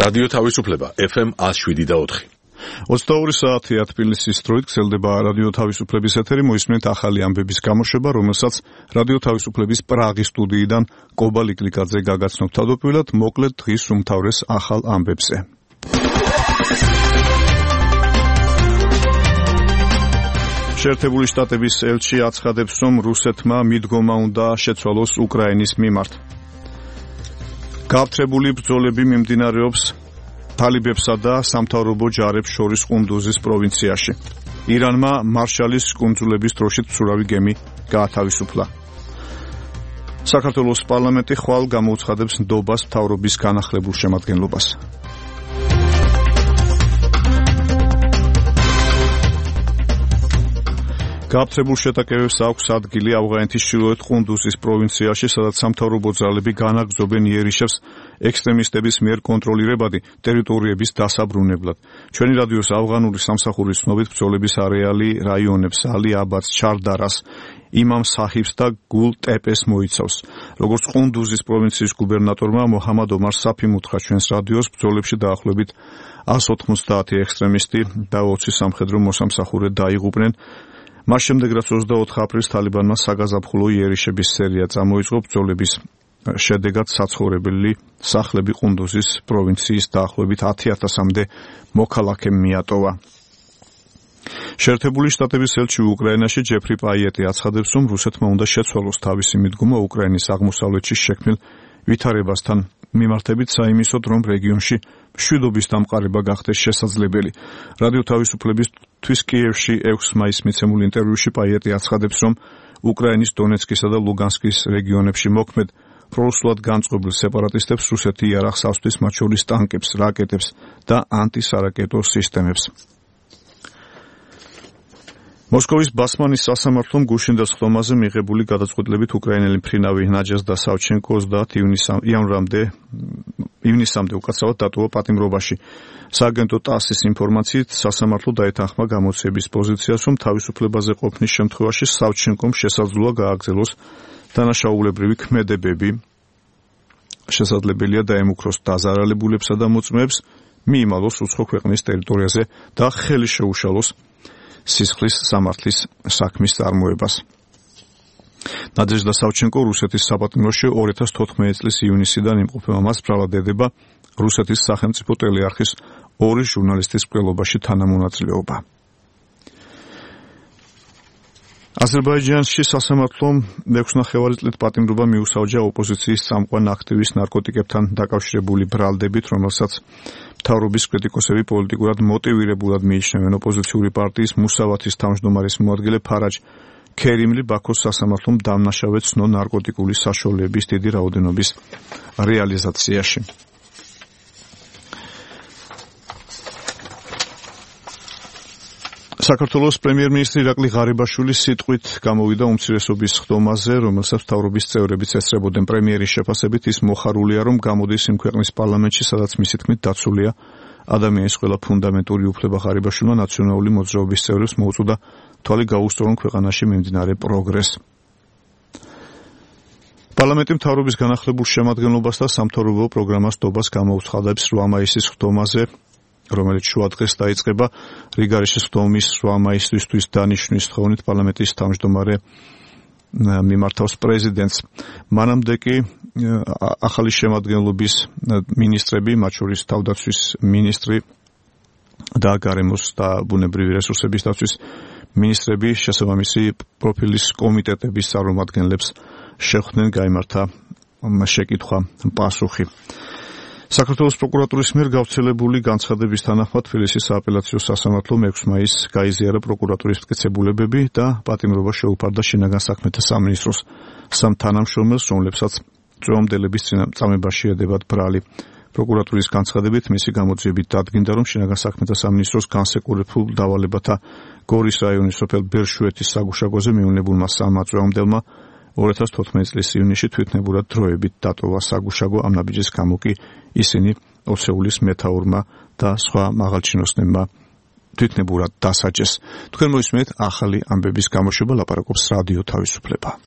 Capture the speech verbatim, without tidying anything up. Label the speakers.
Speaker 1: რადიო თავისუფლება ეფ ემ ათს შვიდი და ოთხი.
Speaker 2: ოცდაორი საათია თბილისის დროით გრძელდება რადიო თავისუფლების ეთერი. მოისმენთ ახალი ამბების გამოშვება, რომელსაც რადიო თავისუფლების პრაღის სტუდიიდან კობა ლიკლიკაძე გაგაცნობთ. თავდაპირველად მოკლედ დღის უმთავრეს ახალ ამბებზე. შეერთებული შტატების ელჩი აცხადებს, რომ რუსეთმა მიდგომა უნდა შეცვალოს უკრაინის მიმართ. გააფთრებული ბრძოლები მიმდინარეობს თალიბებსა და სამთავრობო ჯარებს შორის ყუნდუზის პროვინციაში. ირანმა მარშალის კუნძულების დროშით მცურავი გემი გაათავისუფლა. საქართველოს პარლამენტი ხვალ გამოუცხადებს ნდობას მთავრობის განახლებულ შემადგენლობას. გააფთრებულ შეტაკებებს აქვს ადგილი ავღანეთის ჩრდილოეთ ყუნდუზის პროვინციაში, სადაც სამთავრობო ძალები განაგრძობენ იერიშევს ექსტრემისტების მიერ კონტროლირებადი ტერიტორიების დასაბრუნებლად. ჩვენი რადიოს ავღანური სამსახურის ცნობით ბრძოლების არეალი რაიონებს ალი აბადს, ჩარდარას, იმამ საჰიბს და გულ ტეპეს მოიცავს. როგორც ყუნდუზის პროვინციის გუბერნატორმა მოჰამად ომარ საფიმ უთხრა ჩვენს რადიოს, ბრძოლებში დაახლოებით ას ოთხმოცდაათი ექსტრემისტი და ოცი სამხედრო მოსამსახურე დაიღუპნენ. მას შემდეგ, რაც ოცდაოთხ აპრილს თალიბანმა საგაზაფხულო იერიშების სერია წამოიწყო, ბრძოლების შედეგად საცხოვრებელი სახლები ყუნდუზის პროვინციის დაახლოებით ათი ათასამდე მოქალაქემ მიატოვა. შეერთებული შტატების ელჩი უკრაინაში ჯეფრი პაიეტი აცხადებს, რომ რუსეთმა უნდა შეცვალოს თავისი მიდგომა უკრაინის აღმოსავლეთში შექმნილ ვითარებასთან მიმართებით, საიმისოდ, რომ რეგიონში მშვიდობის დამყარება გახდეს შესაძლებელი. რადიო თავისუფლებისთვის კიევში ექვსი მაისს მიცემულ ინტერვიუში პაიეტი აცხადებს, რომ უკრაინის დონეცკისა და ლუგანსკის რეგიონებში მოქმედ პრორუსულად განწყობილ სეპარატისტებს რუსეთი იარაღს ავსთვის, მათ შორის ტანკებს, რაკეტებს და ანტისარაკეტო სისტემებს. მოსკოვის ბასმანის სასამართლომ გუშინდას ხდომაზე მიღებული გადაწყვეტილებით უკრაინელი მფრინავი ნაჯაზდა სავჩენკო ოცდაათ იანვრამდე ივნისამდე უკაცრავად დატოვა პატიმრობაში. სააგენტო ტასის ინფორმაციით, სასამართლო დაეთანხმა გამოცემის პოზიციას, რომ თავისუფლებაზე ყოფნის შემთხვევაში სავჩენკომ შესაძლოა გააგრძელოს დანაშაულებრივი ქმედებები. შესაძლებელია დაემუქროს დაზარალებულებსა და მოწმეებს, მიიმალოს უცხო ქვეყნის ტერიტორიაზე და ხელი შეუშალოს სისხლის სამართლის საქმის წარმოებას. ნადეჟდა სავჩენკო რუსეთის საპატიმროში ორი ათას თოთხმეტი წლის ივნისიდან იმყოფება. მას მრავლად ედება რუსეთის სახელმწიფო ტელეარხის ორი ჟურნალისტის მკვლელობაში თანამონაწილეობა. აზერბაიჯანში სასამართლომ მეექვსნახევარი წლით პატიმრობა მიუსაჯა ოპოზიციის წამყვან აქტივისტ ნარკოტიკებთან დაკავშირებული ბრალდებით, რომელსაც მთავრობის კრიტიკოსები პოლიტიკურად მოტივირებულად მიიჩნევენ. ოპოზიციური პარტიის მუსავათის თავმჯდომარის მოადგილე ფარაჯ ქერიმლი ბაქოს სასამართლომ დამნაშავედ ცნო ნარკოტიკული საშუალებების დიდი რაოდენობის რეალიზაციაში. საქართველოს პრემიერ-მინისტრი ირაკლი ღარიბაშვილის სიტყვით გამოვიდა უმცირესობის ხდომაზე, რომელსაც მთავრობის წევრებიც ესწრებოდნენ. პრემიერის შეფასებით ის მოხარულია, რომ გამოდის იმ ქვეყნის პარლამენტში, სადაც მისი თქმით დაცულია ადამიანის ყველა ფუნდამენტური უფლება. ღარიბაშვილმა ნაციონალური მოძრაობის წევრებს მოუწოდა თვალი გაუსწორონ ქვეყანაში მიმდინარე პროგრესს. პარლამენტი მთავრობის განახლებულ შემადგენლობას და სამთავრობო პროგრამას ნდობას გამოუცხადებს რვა მაისის ხდომაზე, რომელიც შუა დღეს დაიწყება. რიგარიშის ხდომის რვა მაისისთვის დანიშვნის თხოვნით პარლამენტის თავმჯდომარე მიმართავს პრეზიდენტს. მანამდე კი ახალი შემადგენლობის მინისტრები, მათ შორის თავდაცვის მინისტრი და გარემოს და ბუნებრივი რესურსების დაცვის მინისტრები შესაბამისი პროფილის კომიტეტების წარმომადგენლებს შეხვდნენ, გაიმართა შეკითხვა პასუხი. საქართველოს პროკურატურის მიერ გავრცელებული განცხადების თანახმად თბილისის სააპელაციო სასამართლო მეექვსი მაისს გაიზიარა პროკურატურის მტკიცებულებები და პატიმრობა შეუფარდა შინაგან საქმეთა სამინისტროს სამ თანამშრომელს, რომლებსაც წვევამდელების წამებაში ედებათ ბრალი. პროკურატურის განცხადებით მისი გამოძიებით დადგინდა, რომ შინაგან საქმეთა სამინისტროს განსაკუთრებულ დავალებათა გორის რაიონის სოფელ ბერშუეთის საგუშაგოზე მიუნებულმა სამმა წვევამდელმა ორი ათას თოთხმეტი წლის ივნისში თვითნებურად დროებით დატოვა საგუშაგო. ამ ნაბიჯის გამო კი ისინი ოცეულის მეთაურმა და სხვა მაღალჩინოსნებმა თვითნებურად დასაჯეს. თქვენ მოისმენთ ახალი ამბების გამოშვება, ლაპარაკობს რადიო თავისუფლება.